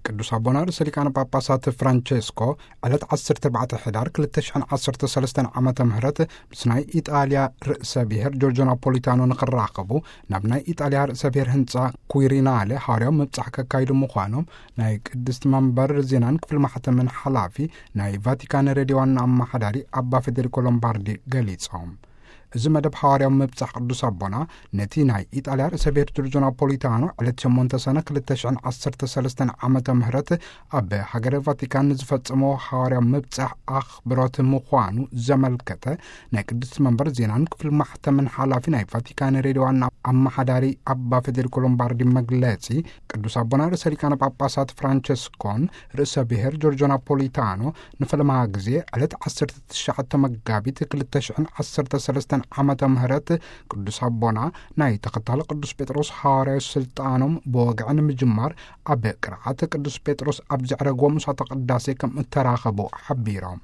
ቅዱስ ኣቦና ርእሰ ሊቃነ ጳጳሳት ፍራንቸስኮ ዕለት ዓሰርተ ኣርባዕተ ሕዳር ክልተ ሽሕን ዓሰርተ ሰለስተን ዓመተ ምህረት ምስ ናይ ኢጣልያ ርእሰ ብሔር ጆርጆ ናፖሊታኖ ንኽራኸቡ ናብ ናይ ኢጣልያ ርእሰ ብሔር ህንፃ ኩዊሪናለ ሃዋርያዊ ምብጻሕ ከካይዱ ምዃኖም ናይ ቅድስቲ መንበር ዜናን ክፍል ማሕተምን ሓላፊ ናይ ቫቲካን ሬድዮ ዋና ኣመሓዳሪ ኣባ ፌዴሪኮ ሎምባርዲ ገሊጾም። እዚ መደብ ሃዋርያዊ ምብጻሕ ቅዱስ ኣቦና ነቲ ናይ ኢጣልያ ርእሰ ብሔር ጆርጆ ናፖሊታኖ ዕለት ሸሞንተ ሰነ ክልተ ሽሕን ዓሰርተ ሰለስተን ዓመተ ምህረት ኣብ ሃገረ ቫቲካን ንዝፈጸሞ ሃዋርያዊ ምብጻሕ ኣኽብሮት ምዃኑ ዘመልከተ ናይ ቅድስቲ መንበር ዜናን ክፍል ማሕተምን ሓላፊ ናይ ቫቲካን ሬድዮ ዋና ኣመሓዳሪ ኣባ ፌዴሪኮ ሎምባርዲ መግለጺ፣ ቅዱስ ኣቦና ርእሰ ሊቃነ ጳጳሳት ፍራንቸስኮን ርእሰ ብሔር ጆርጆ ናፖሊታኖ ንፈለማ ግዜ ዕለት ዓሰርተ ትሽዓተ መጋቢት ክልተ ሽሕን ዓሰርተ ሰለስተን ዓመተ ምህረት ቅዱስ ኣቦና ናይ ተኸታሊ ቅዱስ ጴጥሮስ ሃዋርያዊ ስልጣኖም ብወግዒ ንምጅማር ኣብ ቅርዓት ቅዱስ ጴጥሮስ ኣብ ዘዕረግዎ ምሳተ ቅዳሴ ከም እተራኸቡ ሓቢሮም።